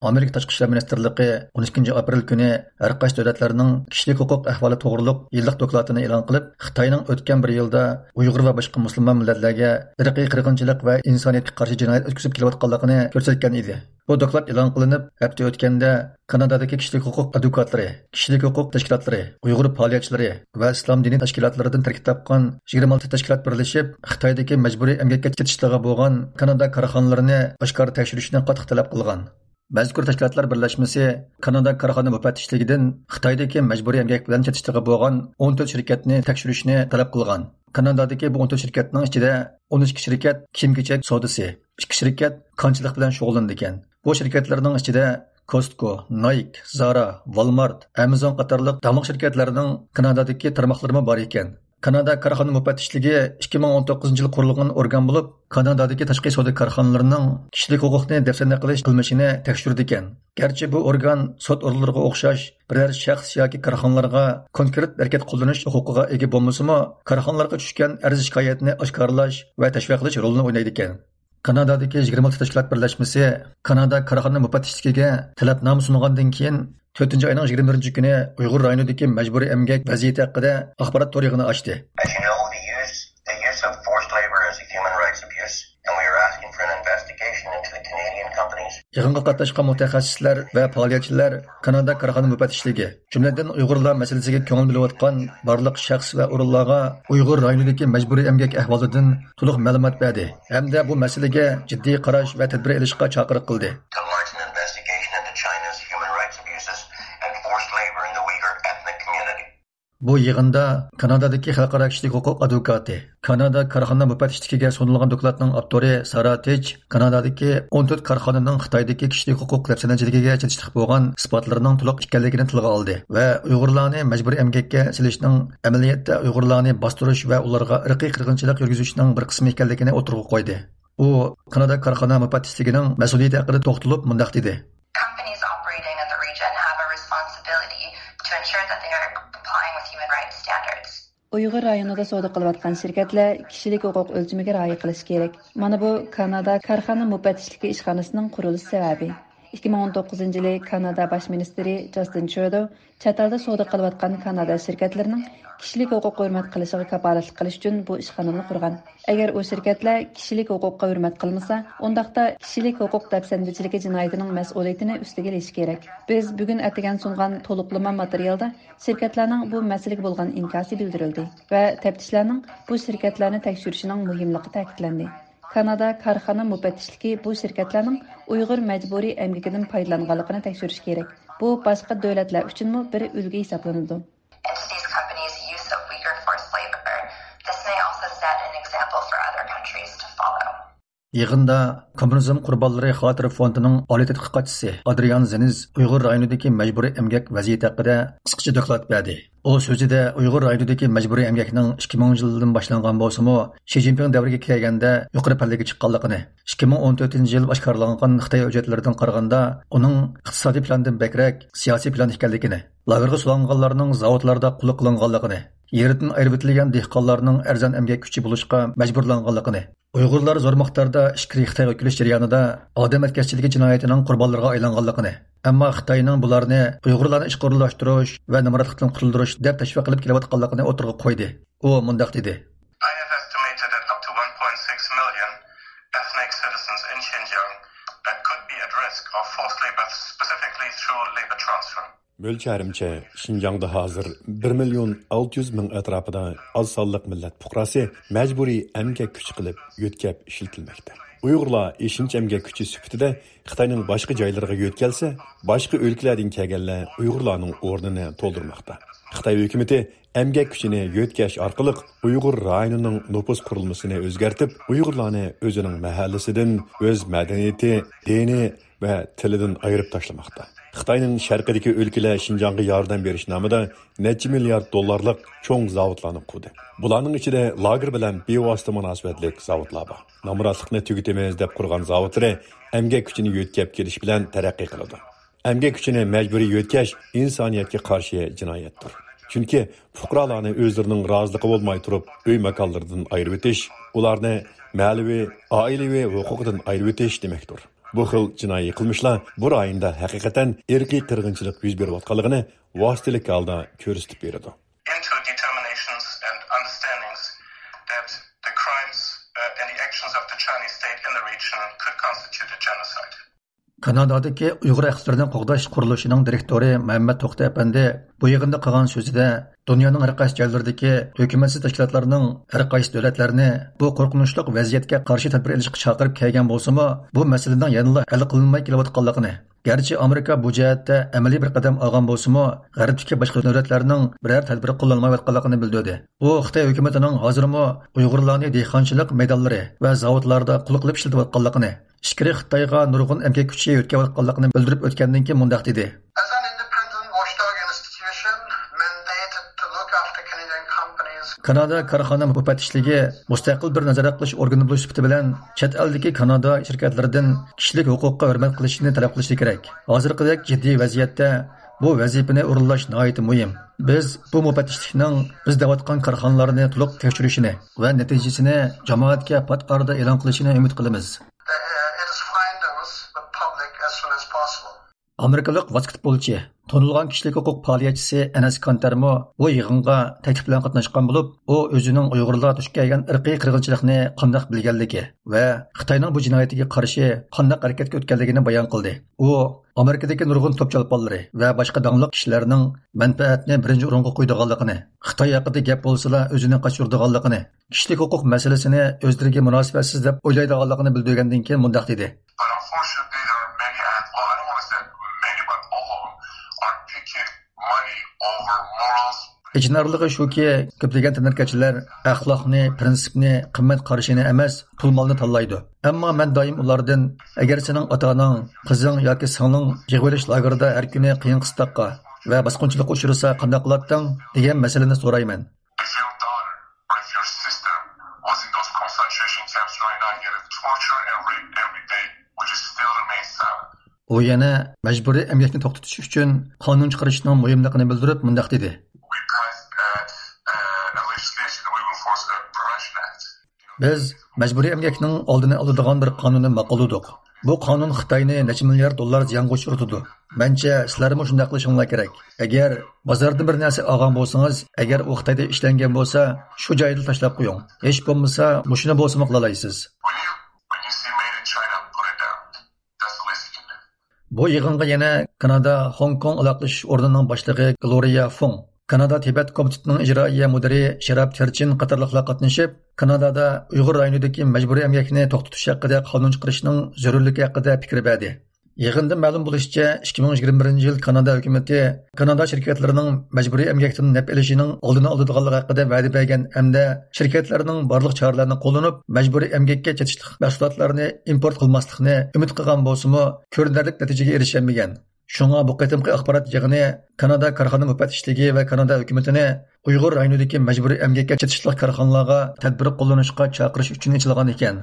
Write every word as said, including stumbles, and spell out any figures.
ئامېرىكا تاشقى ئىشلار مىنىستىرلىقى ئون ئىككىنچى ئاپرېل كۈنى ھەر قايسى دۆلەتلەرنىڭ كىشىلىك ھوقۇق ئەھۋالى توغرۇلۇق يىللىق دوكلاتىنى ئېلان قىلىپ، خىتاينىڭ ئۆتكەن بىر يىلدا ئۇيغۇر ۋە باشقا مۇسۇلمان مىللەتلەرگە ئىرقىي قىرغىنچىلىق ۋە ئىنسانىيەتكە قارشى جىنايەت ئۆتكۈزۈپ كېلىۋاتقانلىقىنى كۆرسەتكەن ئىدى. بۇ دوكلات ئېلان قىلىنىپ، ھەپتە ئۆتكەندە كانادادىكى كىشىلىك ھوقۇق ئادۋوكاتلىرى، كىشىلىك ھوقۇق تەشكىلاتلىرى، ئۇيغۇر پائالىيەتچىلىرى ۋە ئىسلام دىنىي تەشكىلاتلىرىدىن تەركىب تاپقان يىگىرمە ئالتە تەشكىلات بىرلىشىپ، خىتايدىكى مەجبۇرىي ئەمگەككە چېتىشلىقى بولغان كانادا كارخانىلىرىنى ئاشكارا تەكشۈرۈشنى قاتتىق تەلەپ قىلغان. مەزكۇر تەشكىلاتلار بىرلەشمىسى كانادا كارخانا مۇپەتتىشلىكىدىن خىتايدىكى مەجبۇرىي ئەمگەك بىلەن چېتىشلىقى بولغان ئون تۆت شىركەتنى تەكشۈرۈشنى تەلەپ قىلغان. كانادادىكى بۇ ئون تۆت شىركەتنىڭ ئىچىدە ئون ئىككى شىركەت كىيىم-كېچەك سودىسى، ئىككى شىركەت كانچىلىق بىلەن شۇغۇللىنىدىكەن. بۇ شىركەتلەرنىڭ ئىچىدە كوستكو، نايك، زارا، ۋالمارت، ئامازون قاتارلىق داڭلىق شىركەتلەرنىڭ كانادادىكى تارماقلىرىمۇ بار ئىكەن. كانادا كارخانا مۇپەتتىشلىكى ئىككى مىڭ ئون توققۇزىنچى يىلى قۇرۇلغان ئورگان بولۇپ، كانادادىكى تاشقى سودا كارخانىلىرىنىڭ كىشىلىك ھوقۇقنى دەپسەندە قىلىش قىلمىشىنى تەكشۈرىدىكەن. گەرچە بۇ ئورگان سوت ئورۇنلىرىغا ئوخشاش بىرەر شەخس ياكى كارخانىلارغا كونكرېت ھەرىكەت قوللىنىش ھوقۇقىغا ئىگە بولمىسىمۇ، كارخانىلارغا چۈشكەن ئەرز-شىكايەتنى ئاشكارىلاش ۋە تەشۋىقات قىلىش رولىنى ئوينايدىكەن. كانادادىكى يىگىرمە ئالتە تەشكىلات بىرلەشمىسى كانادا كارخانا مۇپەتتىشلىكىگە تەلەپنامە سۇنغاندىن كېيىن، تۆتىنچى ئاينىڭ يىگىرمە بىرىنچى كۈنى ئۇيغۇر رايونىدىكى مەجبۇرىي ئەمگەك ۋەزىيىتى ھەققىدە ئاخبارات تور يىغىنى ئاچتى. As you know, the use, the use of forced labor is a human rights abuse, and we are asking for an investigation into the Canadian companies. يىغىنغا قاتناشقان مۇتەخەسسىسلەر ۋە پائالىيەتچىلەر كانادا كارخانا مۇپەتتىشلىكى، جۈملىدىن ئۇيغۇرلار مەسىلىسىگە كۆڭۈل بۆلۈۋاتقان بارلىق شەخس ۋە ئورۇنلارغا ئۇيغۇر رايونىدىكى مەجبۇرىي ئەمگەك ئەھۋالىدىن تولۇق مەلۇمات بەردى ھەمدە بۇ مەسىلىگە جىددىي قاراش ۋە تەدبىر ئېلىشقا چاقىرىق قىلدى. To launch an investigation into China's human rights abuses and forced labor in the Uyghur ethnic community. بۇ يىغىندا كانادادىكى خەلقئارا كىشىلىك ھوقۇق ئادۋوكاتى، كانادا كارخانا مۇپەتتىشلىكىگە سۇنۇلغان دوكلاتنىڭ ئاپتورى سارا تېچ كانادادىكى ئون تۆت كارخانىنىڭ خىتايدىكى كىشىلىك ھوقۇق دەپسەندىچىلىكىگە چېتىشلىق بولغان ئىسپاتلىرىنىڭ تولۇق ئىكەنلىكىنى تىلغا ئالدى ۋە ئۇيغۇرلارنى مەجبۇرىي ئەمگەككە سېلىشنىڭ ئەمەلىيەتتە ئۇيغۇرلارنى باستۇرۇش ۋە ئۇلارغا ئىرقىي قىرغىنچىلىق يۈرگۈزۈشنىڭ بىر قىسمى ئىكەنلىكىنى ئوتتۇرىغا قويدى. ئۇ كانادا كارخانا مۇپەتتىسلىكىنىڭ مەسئۇلىيىتى ھەققىدە توختىلىپ مۇنداق دېدى. Companies operating in the region have a responsibility to ensure that they are complying with human rights standards. ئۇيغۇر رايونىدا سودا قىلىۋاتقان شىركەتلەر كىشىلىك ھوقۇق ئۆلچىمىگە رىئايە قىلىشى كېرەك. مانا بۇ كانادا كارخانا مۇپەتتىشلىكى ئىشخانىسىنىڭ قۇرۇلۇش سەۋەبى. ئىككى مىڭ ئون توققۇزىنچى يىلى كانادا باش مىنىستىرى جاستىن ترۇدو چەت ئەلدە سودا قىلىۋاتقان كانادا شىركەتلىرىنىڭ كىشىلىك ھوقۇق ھۆرمەت قىلىشىغا كاپالەتلىك قىلىش ئۈچۈن بۇ ئىشخانىنى قۇرغان. ئەگەر ئۇ شىركەتلەر كىشىلىك ھوقۇققا ھۆرمەت قىلمىسا، ئۇنداقتا كىشىلىك ھوقۇق دەپسەندىچىلىكى جىنايىتىنىڭ مەسئۇلىيىتىنى ئۈستىگە ئېلىشى كېرەك. بىز بۈگۈن ئەتىگەن سۇنغان تولۇقلىما ماتېرىيالدا شىركەتلەرنىڭ بۇ مەسىلىگە بولغان ئىنكاسى بىلدۈرۈلدى ۋە تەپتىشلەرنىڭ بۇ شىركەتلەرنى تەكشۈرۈشىنىڭ مۇھىملىقى تەكىتلەندى. كانادا كارخانا مۇپەتتىشلىكى بۇ شىركەتلەرنىڭ ئۇيغۇر مەجبۇرىي ئەمگىكىدىن پايدىلانغانلىقىنى تەكشۈرۈشى كېرەك. بۇ باشقا دۆلەتلەر ئۈچۈنمۇ بىر ئۈلگە ھېسابلىنىدۇ. Entities companies' use of Uyghur forced labor. This may also set an example for other countries to follow. يىغىندا كوممۇنىزم قۇربانلىرى خاتىرە فوندىنىڭ ئالىي تەتقىقاتچىسى ئادرىيان زېنىز ئۇيغۇر رايونىدىكى مەجبۇرىي ئەمگەك ۋەزىيىتى ھەققىدە قىسقىچە دوكلات بەردى. ئۇ سۆزىدە ئۇيغۇر رايونىدىكى مەجبۇرىي ئەمگەكنىڭ ئىككى مىڭىنچى يىلدىن باشلانغان بولسىمۇ، شى جىنپىڭ دەۋرىگە كەلگەندە يۇقىرى پەللىگە چىققانلىقىنى، ئىككى مىڭ ئون تۆتىنچى يىل ئاشكارىلانغان خىتاي ھۆججەتلىرىدىن قارىغاندا، ئۇنىڭ ئىقتىسادىي پىلاندىن بەكرەك سىياسىي پىلان ئىكەنلىكىنى، لاگېرغا سولانغانلارنىڭ زاۋۇتلاردا قۇللۇق قىلىنغانلىقىنى، يېرىدىن ئايرىۋېتىلگەن دېھقانلارنىڭ ئەرزان ئەمگەك كۈچى بولۇشقا مەجبۇرلانغانلىقىنى، ئۇيغۇرلار زور مىقداردا ئىچكىرى خىتايغا كۆچۈش جەريانىدا ئادەم ئەتكەسچىلىكى جىنايىتىنىڭ قۇربانلىرىغا ئايلانغانلىقىنى، ئەمما خىتاينىڭ بۇلارنى ئۇيغۇرلارنى ئىشقا ئورۇنلاشتۇرۇش ۋە نامراتلىقتىن قۇتۇلدۇرۇش دەپ تەشۋىق قىلىپ كېلىۋاتقانلىقىنى ئوتتۇرىغا قويدى. ئۇ مۇنداق دېدى. I have estimated that up to one point six million ethnic citizens in Xinjiang that could be at risk of forced labor, specifically through labor transfer. مۆلچەرىمچە، شىنجاڭدا ھازىر بىر مىليون ئالتە يۈز مىڭ ئەتراپىدا ئاز سانلىق مىللەت پۇقراسى مەجبۇرىي ئەمگەك كۈچى قىلىپ يۆتكەپ ئىشلىتىلمەكتە. ئۇيغۇرلار ئېشىنچا ئەمگەك كۈچى سۈپىتىدە خىتاينىڭ باشقا جايلىرىغا يۆتكەلسە، باشقا ئۆلكىلەردىن كەلگەنلەر ئۇيغۇرلارنىڭ ئورنىنى تولدۇرماقتا. خىتاي ھۆكۈمىتى ئەمگەك كۈچىنى يۆتكەش ئارقىلىق ئۇيغۇر رايونىنىڭ نوپۇس قۇرۇلمىسىنى ئۆزگەرتىپ، ئۇيغۇرلارنى ئۆزىنىڭ مەھەللىسىدىن، ئۆز مەدەنىيىتى، دىنى ۋە تىلىدىن ئايرىپ تاشلىماقتا. خىتاينىڭ شەرقىدىكى ئۆلكىلەر شىنجاڭغا ياردەم بېرىش نامىدا نەچچە مىليارد دوللارلىق چوڭ زاۋۇتلارنى قۇردى. بۇلارنىڭ ئىچىدە لاگېر بىلەن بىۋاسىتە مۇناسىۋەتلىك زاۋۇتلار بار. نامراتلىقنى تۈگىتىمىز دەپ قۇرغان زاۋۇتلىرى ئەمگەك كۈچىنى يۆتكەپ كېلىش بىلەن تەرەققىي قىلىدۇ. ئەمگەك كۈچىنى مەجبۇرىي يۆتكەش ئىنسانىيەتكە قارشى جىنايەتتۇر. چۈنكى پۇقرالارنى ئۆزلىرىنىڭ رازىلىقى بولماي تۇرۇپ ئۆي ماكانلىرىدىن ئايرىۋېتىش، ئۇلارنى مەنىۋى، ئائىلىۋى ھوقۇقىدىن ئايرىۋېتىش دېمەكتۇر. بۇ خىل جىنايى قىلمىشلار بۇ رايوندا ھەقىقەتەن ئىرقىي قىرغىنچىلىق يۈز بېرىۋاتقانلىقىنى ۋاسىتىلىك ھالدا كۆرسىتىپ بېرىدۇ. Into determinations and understandings that the crimes, uh, and the actions of the Chinese state in the region could constitute a genocide. كانادادىكى ئۇيغۇر ھەقلىرىنى قوغداش قۇرۇلۇشىنىڭ دىرېكتورى مەمەت توختى ئەپەندى بۇ يىغىندا قىلغان سۆزىدە، دۇنيانىڭ ھەر قايسى جايلىرىدىكى ھۆكۈمەتسىز تەشكىلاتلارنىڭ ھەر قايسى دۆلەتلەرنى بۇ قورقۇنچلۇق ۋەزىيەتكە قارشى تەدبىر ئېلىشقا چاقىرىپ كەلگەن بولسىمۇ، بۇ مەسىلىنىڭ يەنىلا ھەل قىلىنماي كېلىۋاتقانلىقىنى، گەرچە ئامېرىكا بۇ جەھەتتە ئەمەلىي بىر قەدەم ئالغان بولسىمۇ، غەربتىكى باشقا دۆلەتلەرنىڭ بىرەر تەدبىرى قوللانمايۋاتقانلىقىنى بىلدۈردى. ئۇ خىتاي ھۆكۈمىتىنىڭ ھازىرمۇ ئۇيغۇرلارنى دېھقانچىلىق مەيدانلىرى ۋە زاۋۇتلاردا قۇل قىلىپ ئىشلىتىۋاتقانلىقىنى، ئىچكىرى خىتايغا نۇرغۇن ئەمگەك كۈچى يۆتكەۋاتقانلىقىنى بىلدۈرۈپ ئۆتكەندىن كېيىن مۇنداق دېدى. As an independent watchdog institution mandated to look after Canadian companies. كانادا كارخانا مۇپەتتىشلىكى مۇستەقىل بىر نازارەت قىلىش ئورگىنى بولۇش سۈپىتى بىلەن، چەت ئەلدىكى كانادا شىركەتلىرىدىن كىشىلىك ھوقۇققا ھۆرمەت قىلىشىنى تەلەپ قىلىشى كېرەك. ھازىرقىدەك جىددىي ۋەزىيەتتە بۇ ۋەزىپىنى ئورۇنلاش ناھايىتى مۇھىم. بىز بۇ مۇپەتتىشلىكنىڭ بىز دەۋاتقان كارخانىلارنى تولۇق تەكشۈرۈشىنى ۋە نەتىجىسىنى جامائەتكە پات ئارىدا ئېلان قىلىشىنى ئۈمىد قىلىمىز. It is findings with public as soon as possible. ئامېرىكىلىق ۋاسكېتبولچى، تونۇلغان كىشىلىك ھوقۇق پائالىيەتچىسى ئەنەس كانتەرمۇ بۇ يىغىنغا تەكلىپ بىلەن قاتناشقان بولۇپ، ئۇ ئۆزىنىڭ ئۇيغۇرلارغا دۇچ كەلگەن ئىرقىي قىرغىنچىلىقنى قانداق بىلگەنلىكى ۋە خىتاينىڭ بۇ جىنايىتىگە قارشى قانداق ھەرىكەتكە ئۆتكەنلىكىنى بايان قىلدى. ئۇ ئامېرىكىدىكى نۇرغۇن توپ چولپانلىرى ۋە باشقا داڭلىق كىشىلەرنىڭ مەنپەئەتنى بىرىنچى ئورۇنغا قويىدىغانلىقىنى، خىتاي ھەققىدە گەپ بولسىلا ئۆزىنى قاچۇرىدىغانلىقىنى، كىشىلىك ھوقۇق مەسىلىسىنى ئۆزلىرىگە مۇناسىۋەتسىز دەپ ئويلايدىغانلىقىنى بىلدۈرگەندىن كېيىن مۇنداق دېدى. But unfortunately, there are many, and, well, I don't want to say many, but all of them are picking money over morals. ئېچىنارلىقى شۇكى، كۆپلىگەن تەنھەرىكەتچىلەر ئەخلاقنى، پىرىنسىپنى، قىممەت قارىشىنى ئەمەس، پۇل-مالنى تاللايدۇ. ئەمما مەن دائىم ئۇلاردىن، «ئەگەر سېنىڭ ئاتا-ئاناڭ، قىزىڭ ياكى سىڭلىڭ يىغىۋېلىش لاگېرىدا ھەر كۈنى قىيىن-قىستاققا ۋە باسقۇنچىلىققا ئۇچرىسا، قانداق قىلاتتىڭ؟» دېگەن مەسىلىنى سورايمەن. If your daughter or if your sister was in those concentration camps right now getting tortured and raped every day, would you still remain silent? ئۇ يەنە مەجبۇرىي ئەمگەكنى توختىتىش ئۈچۈن قانۇن چىقىرىشنىڭ مۇھىملىقىنى بىلدۈرۈپ مۇنداق دېدى. We passed a, a, a legislation that we will force a Prevention Act. بىز مەجبۇرىي ئەمگەكنىڭ ئالدىنى ئالىدىغان بىر قانۇننى ماقۇللىدۇق. بۇ قانۇن خىتاينى نەچچە مىليارد دوللار زىيانغا ئۇچرىتىدۇ. مەنچە، سىلەرمۇ شۇنداق قىلىشىڭلار كېرەك. ئەگەر بازاردىن بىر نەرسە ئالغان بولسىڭىز، ئەگەر ئۇ خىتايدا ئىشلەنگەن بولسا، شۇ جايدا تاشلاپ قويۇڭ. ھېچ بولمىسا، مۇشۇنى بولسىمۇ قىلالايسىز. When you, when you see made in China, put it down. That's the least you can do. بۇ يىغىنغا يەنە كانادا خوڭكوڭ ئالاقىلىشىش ئورنىنىڭ باشلىقى گلورىيا فۇڭ، كانادا تىبەت كومىتېتىنىڭ ئىجرائىيە مۇدىرى شېراب تېرچىن قاتارلىقلار قاتنىشىپ، كانادادا ئۇيغۇر رايونىدىكى مەجبۇرىي ئەمگەكنى توختىتىش ھەققىدە قانۇن چىقىرىشنىڭ زۆرۈرلۈكى ھەققىدە پىكىر بەردى. يىغىندا مەلۇم بولۇشىچە، ئىككى مىڭ يىگىرمە بىرىنچى يىل كانادا ھۆكۈمىتى كانادا شىركەتلىرىنىڭ مەجبۇرىي ئەمگەكتىن نەپ ئېلىشىنىڭ ئالدىنى ئالىدىغانلىقى ھەققىدە ۋەدە بەرگەن ھەمدە شىركەتلەرنىڭ بارلىق چارىلەرنى قوللىنىپ، مەجبۇرىي ئەمگەككە چېتىشلىق مەھسۇلاتلارنى ئىمپورت قىلماسلىقنى ئۈمىد قىلغان بولسىمۇ، كۆرۈنەرلىك نەتىجىگە ئېرىشەلمىگەن. شۇڭا بۇ قېتىمقى ئاخبارات يىغىنى كانادا كارخانا مۇپەتتىشلىكى ۋە كانادا ھۆكۈمىتىنى ئۇيغۇر رايونىدىكى مەجبۇرىي ئەمگەككە چېتىشلىق كارخانىلارغا تەدبىر قوللىنىشقا چاقىرىش ئۈچۈن ئېچىلغان ئىكەن.